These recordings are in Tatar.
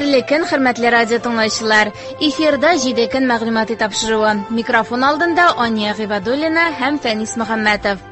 Хәерле көн, хөрмәтле радио тыңлаучылар. Эфирда 7 көн мәгълүмати тапшыруы. Микрофон алдында Ания Гыйбадуллина һәм Фәнис Мөхәммәтов.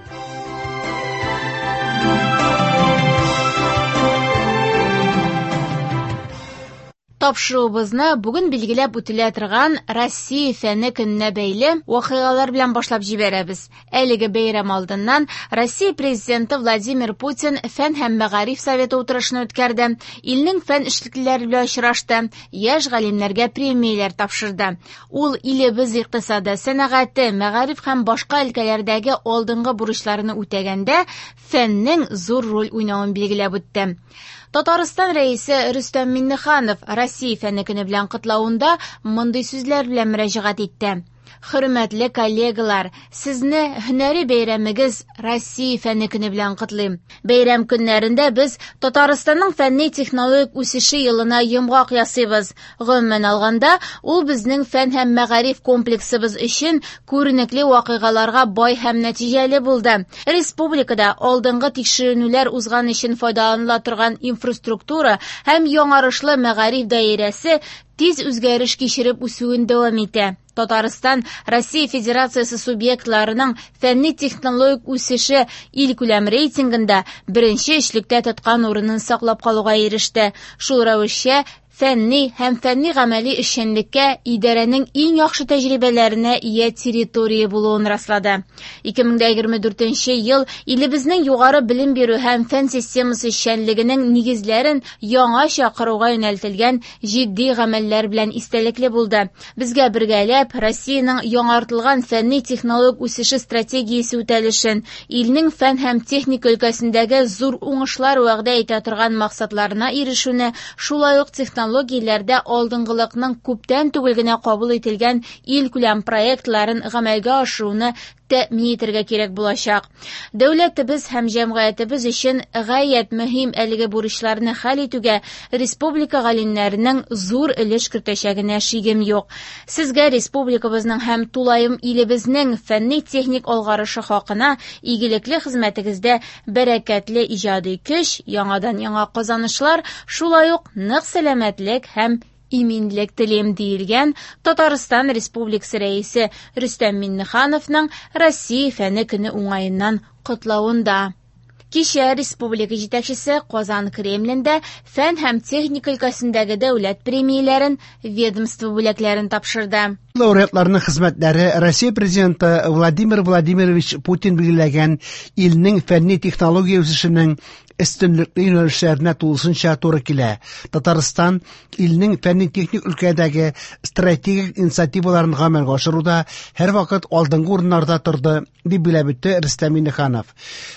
Тапшыруыбызны бүген билгеләп үтелә торган Россия фәне көненә бәйле вакыйгалар белән башлап җибәрәбез. Әлеге бәйрәм алдыннан Россия Президенты Владимир Путин Фән һәм мәгариф советы утырышын үткәрде, илнең фән эшлеклеләре белән очрашты, яшь галимнәргә премияләр тапшырды. Ул илебез икътисады, сәнәгате, мәгариф һәм башка өлкәләрдәге алдынгы бурычларны үтәгәндә фәннең зур роль уйнавын билгеләп үтте. Татарстан Рәисе Рөстәм Миңнеханов Россия фәне көне белән котлавында мондый сүзләр белән мөрәҗәгать итте. Хөрмәтле коллегалар, сезне һөнәри бәйрәмегез Россия фәне көне белән котлыйм. Бәйрәм көннәрендә без Татарстанның фәнни-технологик үсеше елына йомгак ясыйбыз. Гомумән алганда, ул безнең фән һәм мәгариф комплексыбыз өчен күренекле вакыйгаларга бай һәм нәтиҗәле булды. Республикада алдынгы тикшеренүләр узган өчен файдаланыла торган инфраструктура һәм яңарышлы мәгариф даирәсе тиз үзгәреш кичереп үсүен дәвам итә. Татарстан Россия Федерациясе субъектларының фәнни-технологик үсеше илкүләм рейтингында беренче өчлектә тоткан урынын саклап калуга иреште. Шул рәвешчә фәнни һәм фәнни-гамәли эшчәнлеккә идарәнең иң яхшы тәҗрибәләренә ия территория булуын раслады. 2024 ел илебезнең югары белем бирү һәм фән системасы эшчәнлегенең нигезләрен яңача коруга юнәлтелгән җитди гамәлләр белән истәлекле булды. Безгә бергәләп Россиянең яңартылган фәнни-технологик үсеше стратегиясе үтәлешен, илнең фән һәм техника өлкәсендәге зур уңышлар вәгъдә итә торган максатларына ирешүне, шулай ук технологияләрдә алдынгылыкның күптән түгел генә кабул ителгән илкүләм проектларын гамәлгә ашыруны тәэмин итәргә кирәк булачак. Дәүләтебез һәм җәмгыятебез өчен гаять мөһим әлеге бурычларны хәл итүгә республика галимнәренең зур өлеш кертәчәгенә шигем юк. Сезгә республикабызның һәм тулаем илебезнең фәнни-техник алгарышы хакына игелекле хезмәтегездә бәрәкәтле иҗади көч, яңадан-яңа казанышлар, шулай ук нык сәламәтлек һәм иминлек телим, диелгән Татарстан Республикасы Рәисе Рөстәм Миңнехановның Россия фәне көне уңаеннан котлавында. Кичә республика җитәкчесе Казан Кремлендә фән һәм техника өлкәсендәге дәүләт премияләрен, ведомство бүләкләрен тапшырды. Лауреатларның хезмәтләре Россия Президенты Владимир Владимирович Путин билгеләгән илнең фәнни-технология үсешенең өстенлекле юнәлешләренә тулысынча туры килә. Татарстан илнең фәнни-техник өлкәдәге стратегик инициативаларын гамәлгә ашыруда һәрвакыт алдынгы урыннарда торды, дип билгеләп үтте Рөстәм Миңнеханов.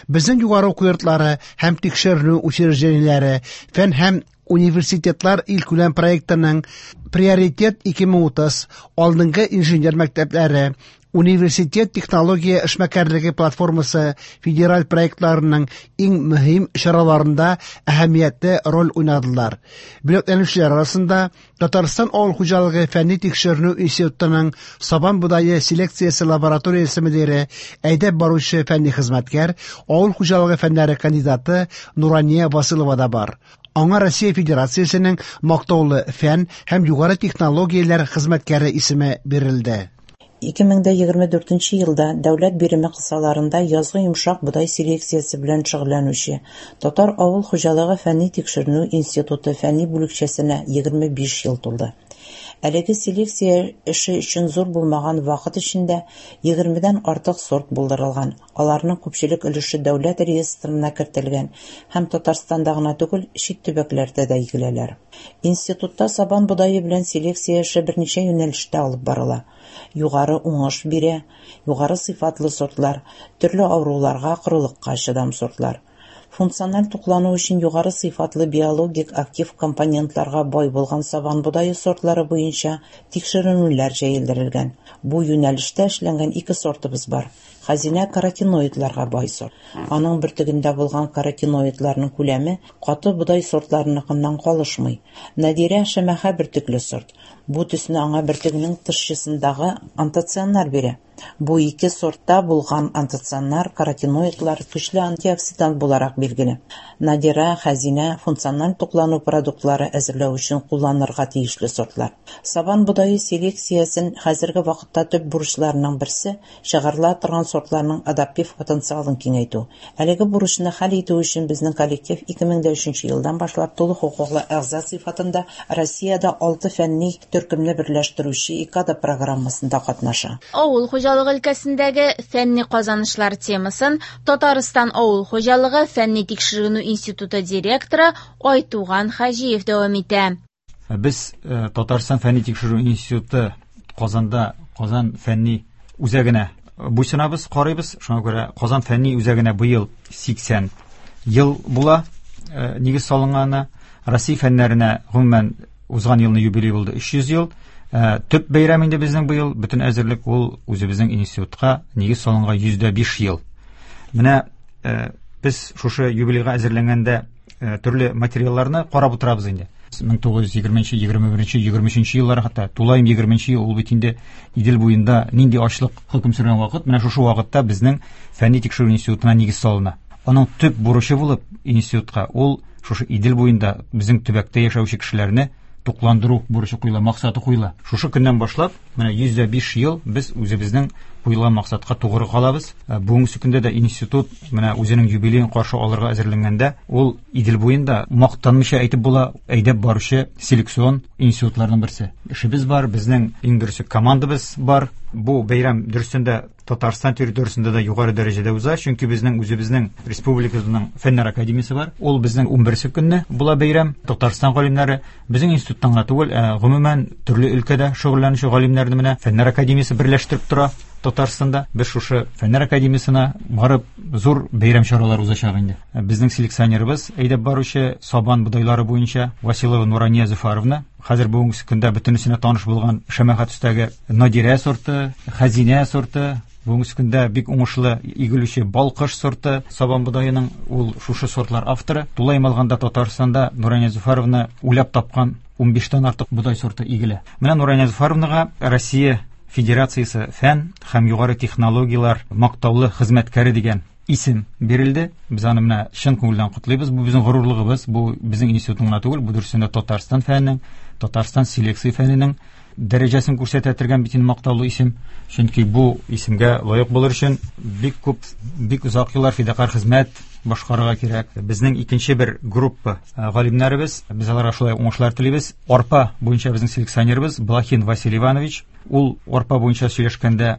Безнең югары уку йортлары һәм тикшеренү учреждениеләре фән һәм университетлар илкүләм проектының Приоритет 2030 алдынгы инженер мәктәпләре, Университет технология эшмәкәрлеге платформасы федераль проектларының иң мөһим чараларында әһәмиятле роль уйнадылар. Бүләкләнүчеләр арасында Татарстан авыл хуҗалыгы фәнни тикшеренү институтының сабан бодае селекциясе лабораториясе мөдире, әйдәп баручы фәнни хезмәткәр, авыл хуҗалыгы фәннәре кандидаты Нурания Василова да бар. Аңа Россия Федерациясенең мактаулы фән һәм югары технологияләр хезмәткәре исеме бирелде. 2024 елда дәүләт биреме кысаларында язгы йомшак бодай селекциясе белән шөгыльләнүче Татар авыл хуҗалыгы фәнни-тикшеренү институты фәнни бүлекчәсенә 25 ел тулды. Әлеге селекция эше өчен зур булмаган вакыт эчендә 20дән артык сорт булдырылган, аларның күпчелек өлеше дәүләт реестрына кертелгән һәм Татарстанда гына түгел, чит төбәкләрдә дә игеләләр. Институтта сабан бодае белән селекция эше берничә юнәлештә алып барыла. Югары уңыш бирә, югары сыйфатлы сортлар, төрле авыруларга, корылыкка чыдам сортлар. Функциональ туклану өчен югары сыйфатлы биологик актив компонентларга бай булган сабан бодае сортлары буенча тикшеренүләр җәелдерелгән. Бу юнәлештә эшләнгән ике сортыбыз бар. Хәзинә каротиноидларга бай сорт. Аның бөртегендә булган каротиноидларның күләме каты бодай сортларыныкыннан калышмый. Надирә шәмәхә бөртекле сорт. Бу төсне аңа бөртегенең тышчасындагы антоцианнар бирә. Бу ике сортта булган антоцианнар, каротиноидлар көчле антиоксидант буларак билгеле. Надира, Хәзинә функциональ туклану продуктлары әзерләү өчен кулланырга тиешле сортлар. Сабан бодае селекциясен хәзерге вакытта төп бурычларының берсе чыгарыла торган сортларның адаптив потенциалын киңәйтү. Әлеге бурычны хәл итү өчен безнең коллектив 2003 елдан башлап тулы хокуклы әгъза сыйфатында Россиядә алты фәнни төркемне берләштерүче ИКАДА программасында катнаша. Авыл хуҗалыгы өлкәсендәге фәнни казанышлар темасын Татарстан авыл хуҗалыгы фәнни тикшеренү институты директоры Айтуган Хаҗиев дәвам итә. Без Татарстан фәнни тикшерү институты Казанда Казан фәнни үзәгенә буйсынабыз, карыйбыз. Шуңа күрә Казан фәнни үзәгенә быел 80 ел була нигез салынганы. Россия фәннәренә гомумән узган елны юбилей булды 300 ел. Төп бәйрәм инде безнең быел, бөтен әзерлек ул үзебезнең институтка нигез салынган 105 ел. Менә без шушы юбилейга әзерләнгәндә төрле материалларны карап утырабыз инде. 1920, 21, 23 еллар, хәтта тулаем 20 ел ул бит инде Идел буенда нинди ачлык хөкем сөргән вакыт, менә шушы вакытта безнең фәнни тикшерү институтына нигез салына. Аның төп бурычы булып институтка ул шушы Идел буенда безнең төбәктә яшәүче кешеләрне тукландыру бурычы куела, максаты куела. Шушы көннән башлап, менә 105 ел без үзебезнең куелган максатка тугры калабыз. Бүгенге көндә дә институт менә үзенең юбилеен каршы алырга әзерләнгәндә, ул Идел буенда мактанмыйча әйтеп була, әйдәп баручы селекцион институтларның берсе. Эшебез бар, безнең иң дөресе командабыз бар. Бу бәйрәм дөресендә Татарстан территориясендә дә югары дәрәҗәдә уза, чөнки безнең үзебезнең республикабызның Фәннәр академиясе бар. Ул безнең 11 көнне була бәйрәм. Татарстан галимнәре безнең институттан гына түгел, ә гомумән төрле өлкәдә шөгыльләнүче галимнәрне менә Фәннәр академиясе берләштереп тора. Татарстанда без шушы Фәннәр академиясенә барып зур бәйрәм чаралары узачак инде. Безнең селекционерыбыз әйдәп баручы сабан бодайлары буенча Василова Нурания Зөфаровна, хәзер бүгенге көндә бөтенесенә таныш булган шәмәхә төстәге Надирә сорты, Хәзинә сорты, бүгенге көндә бик уңышлы игелүче Балкыш сорты сабан бодаеның ул шушы сортлар авторы. Тулаем алганда Татарстанда Нурания Зөфаровна уйлап тапкан 15тән артык бодай сорты игелә. Менә Нурания Зөфаровнага Россия Федерациясе фән һәм югары технологияләр мактаулы хезмәткәре дигән исем бирелде. Без аны менә чын күңелдән котлыйбыз. Бу безнең горурлыгыбыз, бу безнең институтның гына түгел, бу дөресендә Татарстан фәненең, Татарстан селекция фәненең дәрәҗәсен күрсәтә торган бит инде мактаулы исем. Чөнки бу исемгә лаек булыр өчен бик күп, бик озак еллар фидакарь хезмәт башкарырга кирәк. Безнең икенче бер группа галимнәребез, без аларга шулай уңышлар телибез. Арпа буенча безнең селекционерыбыз Блохин Василий Иванович, ул арпа буенча сөйләшкәндә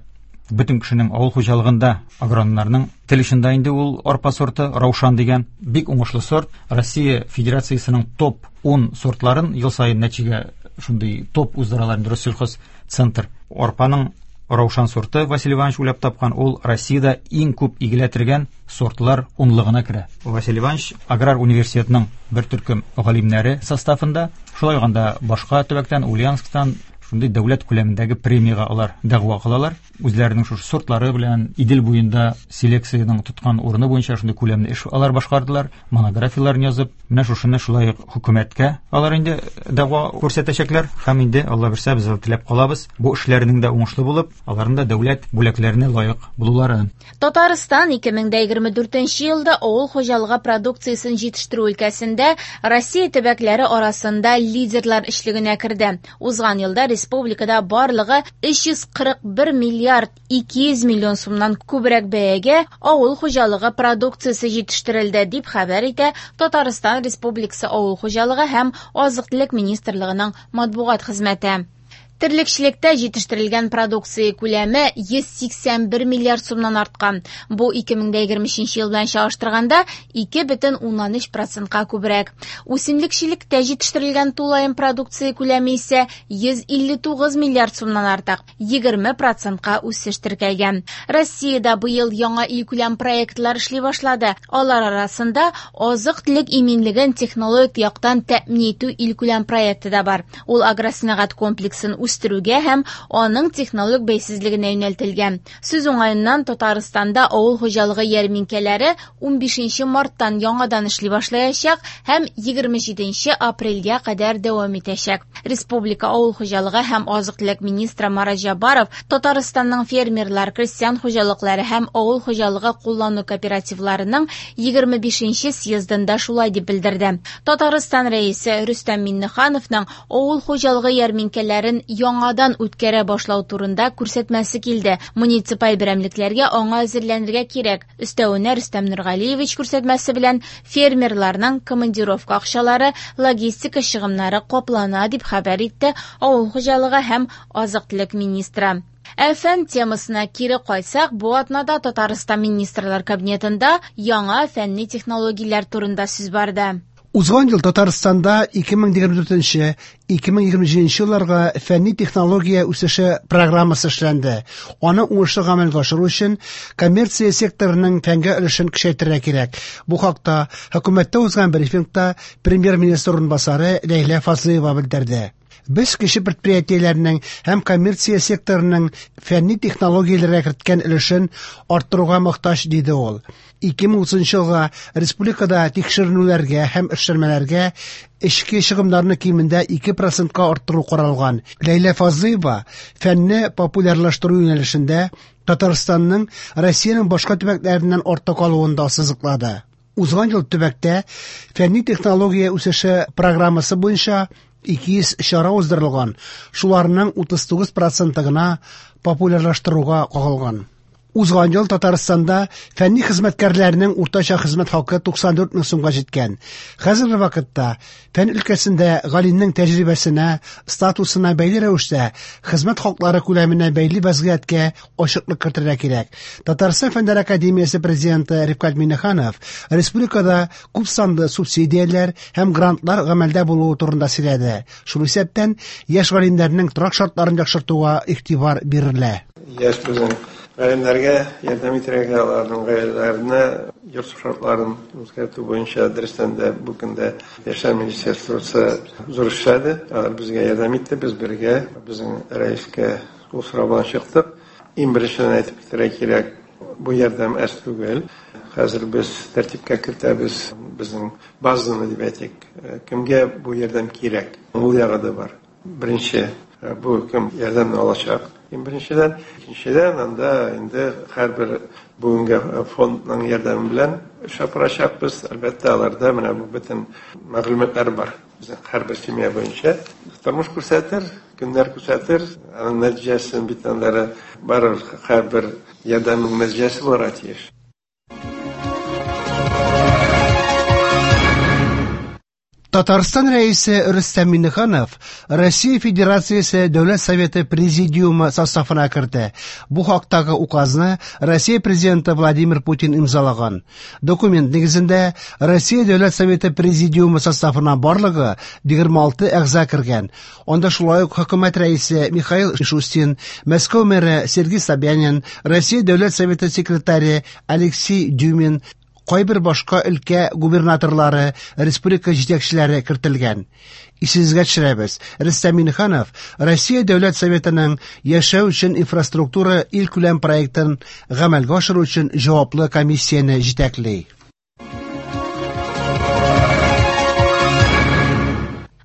бөтен кешенең авыл хуҗалыгында агрономнарның тел очында инде ул арпа сорты Раушан дигән бик уңышлы сорт. Россия Федерациясенең топ 10 сортларын ел саен нәтиҗәгә шундый топ уздыралар инде Россельхозцентр. Арпаның Раушан сорты Василий Иванович уйлап тапкан, ул Россиядә иң күп игелә торган сортлар унлыгына керә. Василий Иванович аграр университетның бер төркем галимнәре составында, шулай ук анда башка төбәктән, Ульяновсктан шундый дәүләт күләмендәге премиягә алар дәгъва кылалар. Үзләренең шушы сортлары белән Идел буенда селекциянең тоткан урыны буенча шундый күләмле эш алар башкардылар, монографияләрен язып, менә шушыны шулай ук хөкүмәткә алар инде дәгъва күрсәтәчәкләр һәм инде Алла бирсә без теләп калабыз, бу эшләренең дә уңышлы булып, аларның да дәүләт бүләкләренә лаек булуларын. Татарстан 2024 елда авыл хуҗалыгы продукциясен җитештерү өлкәсендә Россия төбәкләре арасында лидерлар өчлегенә керде. Узган елда республикада барлыгы 341 миллиард 200 миллион сумнан күбрәк бәягә авыл хуҗалыгы продукциясе җитештерелде, дип хәбәр итә Татарстан Республикасы Авыл хуҗалыгы һәм азык-төлек министрлыгының матбугат хезмәте. Терлекчелектә җитештерелгән продукция күләме 181 миллиард сумнан арткан. Бу 2023 ел белән чагыштырганда 2,3%ка күбрәк. Үсемлекчелектә җитештерелгән тулаем продукция күләме исә 159 миллиард сумнан артык, 20%ка үсеш теркәлгән. Россиядә быел яңа илкүләм проектлар эшли башлады. Алар арасында азык-төлек иминлеген технологик яктан тәэмин итү илкүләм проекты да бар. Ул агросәнәгать комплексын үстерүгә һәм аның технологик бәйсезлегенә юнәлтелгән. Сүз уңаеннан, Татарстанда авыл хуҗалыгы ярминкәләре 15 марттан яңадан эшли башлаячак һәм 27 апрельгә кадәр дәвам итәчәк. Республика авыл хуҗалыгы һәм азык-төлек министры Марат Җаббаров Татарстанның фермерлар, крестьян хуҗалыклары һәм авыл хуҗалыгы куллану кооперативларының 25 съездында шулай дип белдерде. Татарстан рәисе Рөстәм Миңнехановның авыл хуҗалыгы ярминкәләрен яңадан үткәрә башлау турында күрсәтмәсе килде. Муниципаль берәмлекләргә аңа әзерләнергә кирәк. Өстәвенә, Рөстәм Нургалиевич күрсәтмәсе белән фермерларның командировка акчалары, логистика чыгымнары каплана, дип хәбәр итте авыл хуҗалыгы һәм азык-төлек министры. Ә фән темасына кире кайтсак, бу атнада Татарстан Министрлар Кабинетында яңа фәнни технологияләр турында сүз барды. Узган ел Татарстанда 2024-2027 елларга фәнни технология үсеше программасы эшләнде. Аны уңышлы гамәлгә ашыру өчен коммерция секторының фәнгә өлешен көчәйтергә кирәк. Бу хакта хөкүмәттә узган брифингта премьер-министр урынбасары Ләйлә Фазлыева белдерде. Без кече предприятиеләрнең һәм коммерция секторының фәнни технологияләргә керткән өлешен арттыруга мохтаҗ, диде ул. 2030 елга республикада тикшеренүләргә һәм эшләнмәләргә эчке чыгымнарны кимендә 2%-ка арттыру каралган. Ләйлә Фазлыева фәнне популярлаштыру юнәлешендә Татарстанның Россиянең башка төбәкләреннән артта калуын да ассызыклады. Узган ел төбәктә фәнни технология үсеше программасы буенча 200 чара уздырылган, шуларның 39% гына популярлаштыруга кагылган. Узган ел Татарстанда фәнни хезмәткәрләрнең уртача хезмәт хакы 94 мең сумга җиткән. Хәзерге вакытта фән өлкәсендә галимнең тәҗрибәсенә, статусына бәйле рәвештә хезмәт хаклары күләменә бәйле вазгыятькә ачыклык кертергә кирәк. Татарстан Фәннәр академиясе президенты Рифкать Миңнеханов республикада күп санлы субсидияләр һәм грантлар гамәлдә булуы турында сөйләде. Шул исәптән яшь галимнәрнең торак шартларын яхшыртуга игътибар бирелә. Яшь безнең галимнәргә ярдәм итәргә, аларның гаиләләренә йорт шартларын үзгәртү буенча дөрестән дә бу көндә Яшьләр министерствосы зур эшләде. Алар безгә ярдәм итте, без бергә безнең рәискә ул сорау белән чыктык. Иң беренчедән әйтеп китәргә кирәк, бу ярдәм әз түгел. Хәзер без тәртипкә кертәбез безнең базаны дип әйтик. Кемгә бу ярдәм кирәк? Ул ягы да бар. Беренче, бу кем ярдәмне алачак? Иң беренчедән, икенчедән, анда инде һәрбер бүгенге фондның ярдәме белән эш апарачакбыз. Әлбәттә, аларда менә бу бөтен мәгълүматлар бар. Безнең һәрбер семья буенча тормыш күрсәтер, көннәр күрсәтер, аның нәтиҗәсен бит аннары барыбер һәрбер ярдәмнең нәтиҗәсе булырга тиеш. Татарстан Рәисе Рөстәм Миңнеханов Россия Федерациясе Дәүләт Советы Президиумы составына керде. Бу хактагы указны Россия Президенты Владимир Путин имзалаган. Документ нигезендә Россия Дәүләт Советы Президиумы составына барлыгы 26 әгъза кергән. Анда шулай ук хөкүмәт рәисе Михаил Мишустин, Мәскәү мэры Сергей Собянин, Россия Дәүләт Советы секретаре Алексей Дюмин, кайбер башка өлкә губернаторлары, республика җитәкчеләре кертелгән. Исегезгә төшерәбез, Рөстәм Миңнеханов Россия Дәүләт Советының яшәү өчен инфраструктура илкүләм проектын гамәлгә ашыру өчен җаваплы комиссияне җитәкли.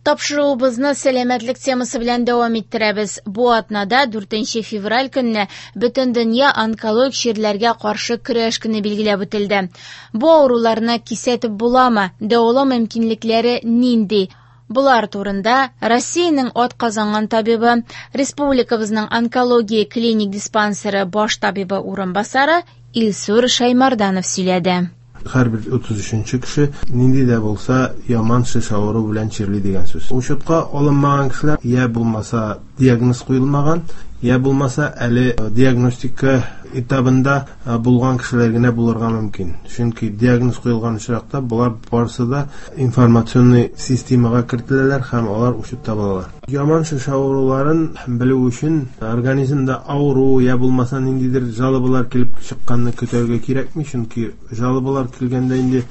Тапшыруыбызны сәламәтлек темасы белән дәвам иттерәбез. Бу атнада 4 февраль көнне Бөтендөнья онкологик чирләргә каршы көрәш көне билгеләп үтелде. Бу авыруларны кисәтеп буламы? Дәвалау мөмкинлекләре нинди? Булар турында Россиянең атказанган табибы, республикабызның онкология клиник диспансеры баш табибы урынбасары Илсур Шаймарданов сөйләде. Һәрбер 33 кеше нинди дә булса яман шеш авыру белән чирли дигән сүз. Учетка алынмаган кешеләр я булмаса диагноз куелмаган, я булмаса әле диагностика этабында булган кешеләр генә булырга мөмкин. Чөнки диагноз куелган очракта болар барысы да информационный системага кертеләләр һәм алар учетта булалар. Яман шеш авыруларын белү өчен организмда авыру я булмаса ниндидер жалобалар килеп чыкканны көтәргә кирәкми, чөнки жалобалар килгәндә инде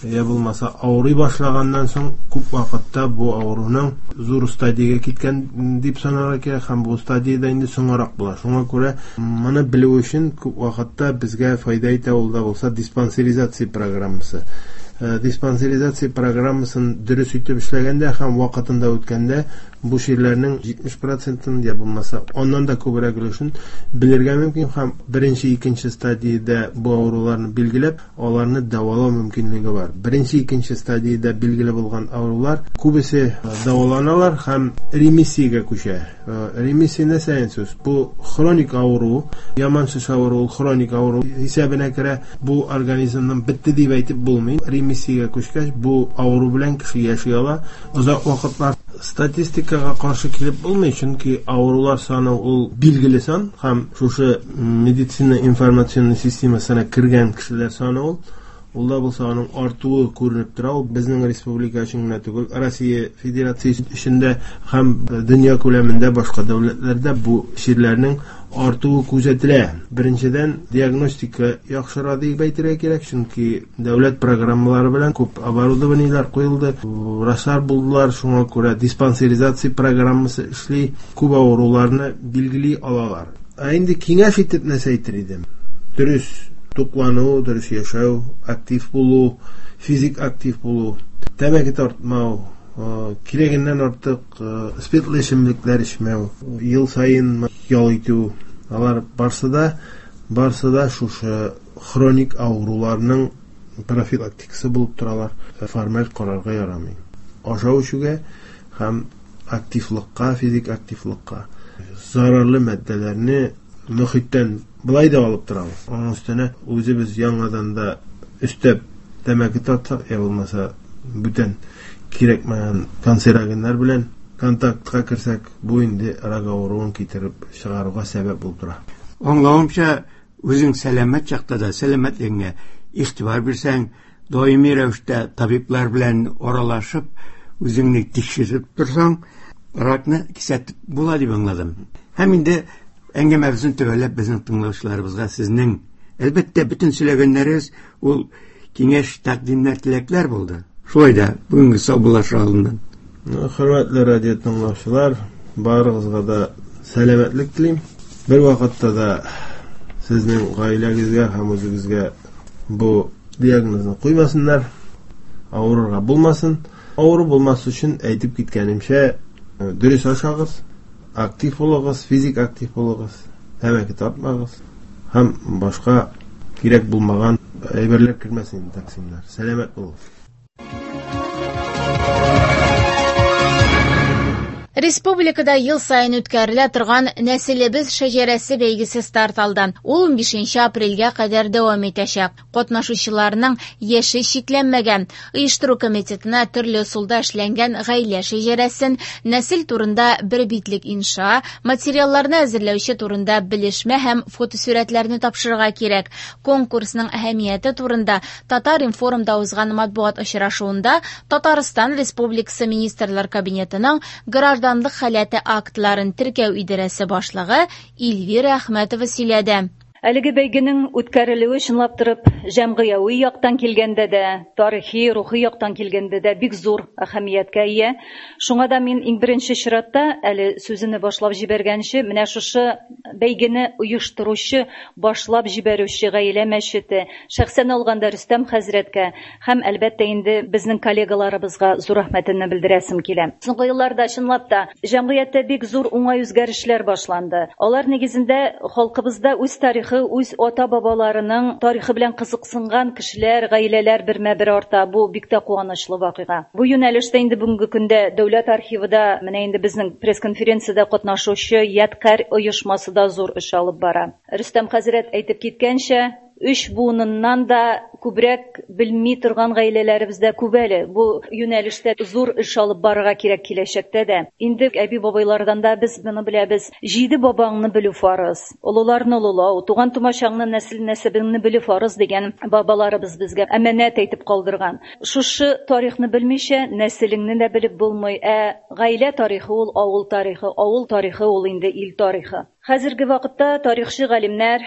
я булмаса авырый башлаганнан соң күп вакытта бу авыруның зур стадиягә киткән дип санарга кирәк һәм бу стадиядә инде соңрак була. Шуңа күрә моны белү өчен күп вакытта безгә файда итә ул да булса диспансеризация программасы. Диспансеризация программасын дөрес итеп эшләгәндә һәм вакытында үткәндә бу чирләрнең 70%-ын я булмаса аннан да күбрәк өлешен белергә мөмкин һәм беренче, икенче стадиядә бу авыруларны билгеләп, аларны дәвалау мөмкинлеге бар. Беренче, икенче стадиядә билгеле булган авырулар күбесе дәваланалар һәм ремиссиягә күчә. Ремиссия нәрсә сүз? Бу хроник авыру, яман шеш авыру, хроник авыру исәбенә керә. Бу организмның бетте дип әйтеп булмый. Ремиссиягә күчкәч, бу авыру белән кеше яши ала. Озак вакытлар статистикага каршы килеп булмый, чөнки авырулар саны ул билгеле сан һәм шушы медицина информационный системасына кергән кешеләр саны ул да булса аның артуы күренеп тора. Ул безнең республика өчен генә түгел, Россия Федерациясе өчен дә һәм дөнья күләмендә башка дәүләтләрдә бу чирләрнең артуы күзәтелә. Беренчедән, диагностика яхшыра дип әйтергә кирәк, чөнки дәүләт программалары белән күп оборудованиеләр куелды, врачлар булдылар, шуңа күрә диспансеризация программасы эшли, күп авыруларны билгели алалар. Ә инде киңәш итеп нәрсә әйтер идем? Дөрес туклану, дөрес яшәү, актив булу, физик актив булу, тәмәке тартмау, кирәгеннән артык спиртлы эчемлекләр эчмәү, ел саен ял итү, алар барсы да шушы хроник авыруларның профилактикасы булып торалар. Формаль карарга ярамый. Ашау эчүгә һәм активлыкка, физик активлыкка зарарлы матдәләрне мөхиттән былай да алып торабыз. Аның өстенә үзебез яңадан да өстәп тәмәке тартсак, я булмаса бүтән кирәкмәгән канцерогеннар белән контактка керсәк, бу инде рак авыруын китереп чыгаруга сәбәп булып тора. Аңлавымча, үзең сәламәт чакта да сәламәтлегеңә игътибар бирсәң, даими рәвештә табиблар белән аралашып, үзеңне тикшереп торсаң, ракны кисәтеп була дип аңладым. Һәм инде әңгәмәбезне төгәлләп безнең тыңлаучыларыбызга сезнең әлбәттә бөтен сөйләгәннәрегез ул киңәш, тәкъдимнәр, теләкләр булды. Шулай да бүгенге саубуллашу алдыннан. Хөрмәтле радио тыңлаучылар, барыгызга да сәламәтлек телим. Бер вакытта да сезнең гаиләгезгә һәм үзегезгә бу диагнозны куймасыннар, авырырга булмасын. Авыру булмас өчен әйтеп киткәнемчә, дөрес ашагыз, актив булыгыз, физик актив булыгыз, тәмәке тартмагыз һәм башка кирәк булмаган әйберләр кермәсен токсиннар. Сәламәт булыгыз. Республикада ел сайын үткәрелә торган Нәселебез шәҗәрәсе бәйгесе старт алды. Ул 15 апрельгә кадәр дәвам итәчәк. Катнашучыларның яше чикләнмәгән. Оештыру комитетына төрле ысулда эшләнгән гаилә шәҗәрәсен, нәсел турында бер битлек инша, материалларны әзерләүче турында белешмә һәм фотосурәтләрне тапшырырга кирәк. Конкурсның әһәмияте турында Татар-информда узган матбугат очрашуында Татарстан Республикасы Министрлар Кабинетының гражданлык халәте актларын теркәү идарәсе башлыгы Эльвира Әхмәтова сөйләде. Әлеге бәйгенең үткәрелүе чынлап торып җәмгыяви яктан килгәндә дә, тарихи, рухи яктан килгәндә дә бик зур әһәмияткә ия. Шуңа да мин иң беренче чиратта әле сүземне башлап җибәргәнче, менә шушы бәйгене оештыручы, башлап җибәрүче гаилә мәчете, шәхсән алганда Рөстәм хәзрәткә һәм әлбәттә инде безнең коллегаларыбызга зур рәхмәтемне белдерәсем килә. Соңгы елларда чынлап та җәмгыятьтә бик зур уңай үзгәрешләр башланды. Алар нигезендә халкыбызда үз тарихы, үз ата-бабаларының тарихы белән кызыксынган кешеләр, гаиләләр бермә-бер арта. Бу бик тә куанычлы вакыйга. Бу юнәлештә инде бүгенге көндә дәүләт архивында менә инде безнең пресс-конференциядә катнашучы Ядкарь оешмасы да зур эш алып бара. Рөстәм хәзрәт әйтеп киткәнчә, өч буыныннан да күбрәк белми торган гаиләләребездә күп әле. Бу юнәлештә зур эш алып барырга кирәк киләчәктә дә. Инде әби-бабайлардан да без моны беләбез. Җиде бабаңны белү фарыз, олыларны олылау, туган тумачаңны, нәсел нәсәбеңне белү фарыз дигән бабаларыбыз безгә әманәт әйтеп калдырган. Шушы тарихны белмичә, нәселеңне дә белеп булмый. Ә гаилә тарихы ул авыл тарихы, авыл тарихы ул инде ил тарихы. Хәзерге вакытта тарихчы галимнәр,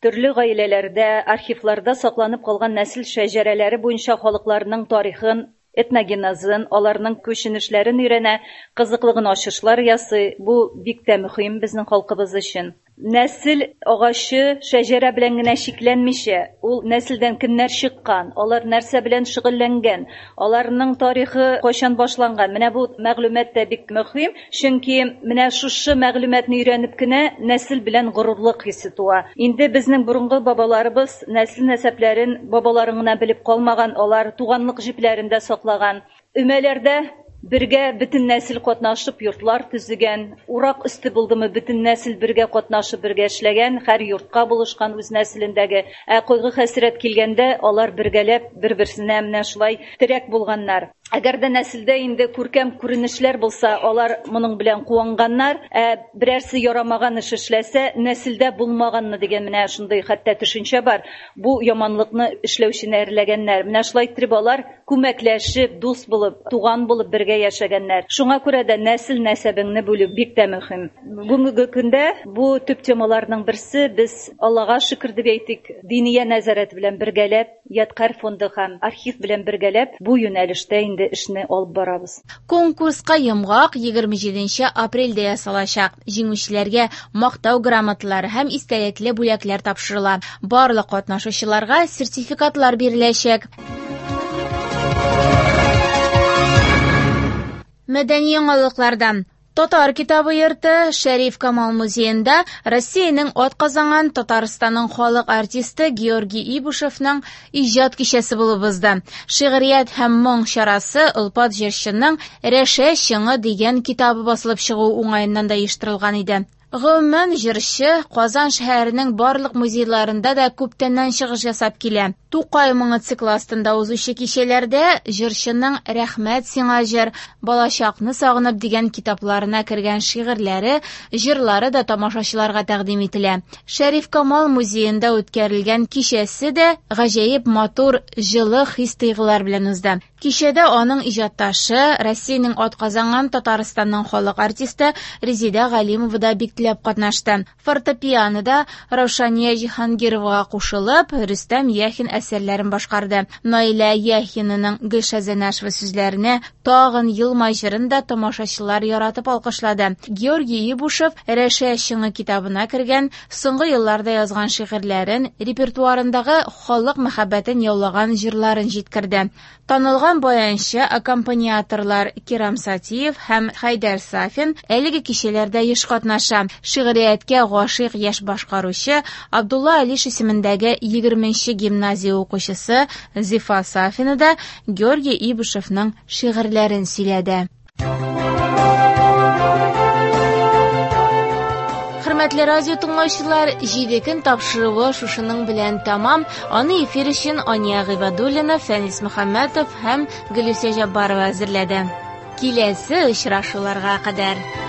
Төрле гаиләләрдә, архивларда сакланып калган нәсел шәҗәрәләре буенча халыкларның тарихын, этногенезын, аларның күченешләрен өйрәнә, кызыклы гына ачышлар ясый. Бу бик тә мөһим безнең халкыбыз өчен. Нәсел агачы шәҗәрә белән генә чикләнмичә, ул нәселдән кемнәр чыккан, алар нәрсә белән шөгыльләнгән, аларның тарихы кайчан башланган. Менә бу мәгълүмат та бик мөһим, чөнки менә шушы мәгълүматны өйрәнеп кенә нәсел белән горурлык хисе туа. Инде безнең борынгы бабаларыбыз нәсел нәсәпләрен бабаларын гына белеп калмаган, алар туганлык җепләрен дә саклаган. Өмәләрдә бергә бөтен нәсел катнашып йортлар төзегән, урак өсте булдымы, бөтен нәсел бергә катнашып бергә эшләгән, һәр йортка булышкан үз нәселендәге. Ә кайгы-хәсрәт килгәндә алар бергәләп бер-берсенә менә шулай терәк булганнар. Әгәр дә нәселдә инде күркәм күренешләр булса, алар моның белән куанганнар. Ә берәрсе ярамаган эш эшләсә, нәселдә булмаганны дигән менә шундый хәтта төшенчә бар. Бу яманлыкны эшләүчене әрләгәннәр. Менә шулай иттереп алар күмәкләшеп, дус булып, туган булып бергә яшәгәннәр. Шуңа күрә дә нәсел нәсәбеңне бүлү бик тә мөһим. Бүгенге көндә бу төп темаларның берсе без Аллага шөкер дип әйтик, Диния нәзарәте белән бергәләп, Ядкарь фонды һәм архив белән бергәләп бу юнәлештә инде эшне алып барабыз. Конкурска йомгак 27 апрельдә ясалачак. Җиңүчеләргә мактау грамоталары һәм истәлекле бүләкләр тапшырыла. Барлык катнашучыларга сертификатлар биреләчәк. Мәдәни яңалыклардан. Татар китабы йорты Шәриф Камал музеенда Россиянең атказанган Татарстанның халык артисты Георгий Ибушевның иҗат кичәсе булып узды. Шигърият һәм моң чарасы олпат җырчының Рәшә чыңы дигән китабы басылып чыгу уңаеннан да оештырылган иде. Гомумән, җырчы Казан шәһәренең барлык музейларында да күптәннән чыгыш ясап килә. Тукай моңы циклы астында узучы кичәләрдә җырчының Рәхмәт сиңа җыр, Балачакны сагынып дигән китапларына кергән шигырьләре, җырлары да тамашачыларга тәкъдим ителә. Шәриф Камал музеенда үткәрелгән кичәсе дә гаҗәеп матур, җылы хис-тойгылар белән узды. Кичәдә аның иҗатташы, Россиянең атказанган Татарстанның халык артисты Резеда Галимова да бик теләп катнашты. Фортепианода Раушания Җиһангировага кушылып, Рөстәм Яхин әсәрләрен башкарды. Наилә Яхинаның Гөлшат Зәйнашева сүзләренә Тагын елмай җырын да тамашачылар яратып алкышлады. Георгий Ибушев Рәшә чыңы китабына кергән соңгы елларда язган шигырьләрен, репертуарындагы халык мәхәббәтен яулаган җырларын җиткерде. Танылган баянчы, аккомпаниаторлар Кирам Сатиев һәм Хәйдәр Сафин әлеге кичәләрдә еш катнаша. Шигърияткә гашыйк яшь башкаручы Абдулла Алиш исемендәге 20нче гимназия укучысы Зифа Сафина да Георгий Ибушевның шигырьләрен сөйләде. Хөрмәтле радио тыңлаучылар, 7 көн тапшыруы шушының белән тәмам. Аны эфир өчен Ания Гыйбадуллина, Фәнис Мөхәммәтов һәм Гөлүсә Җаббарова әзерләде. Киләсе очрашуларга кадәр.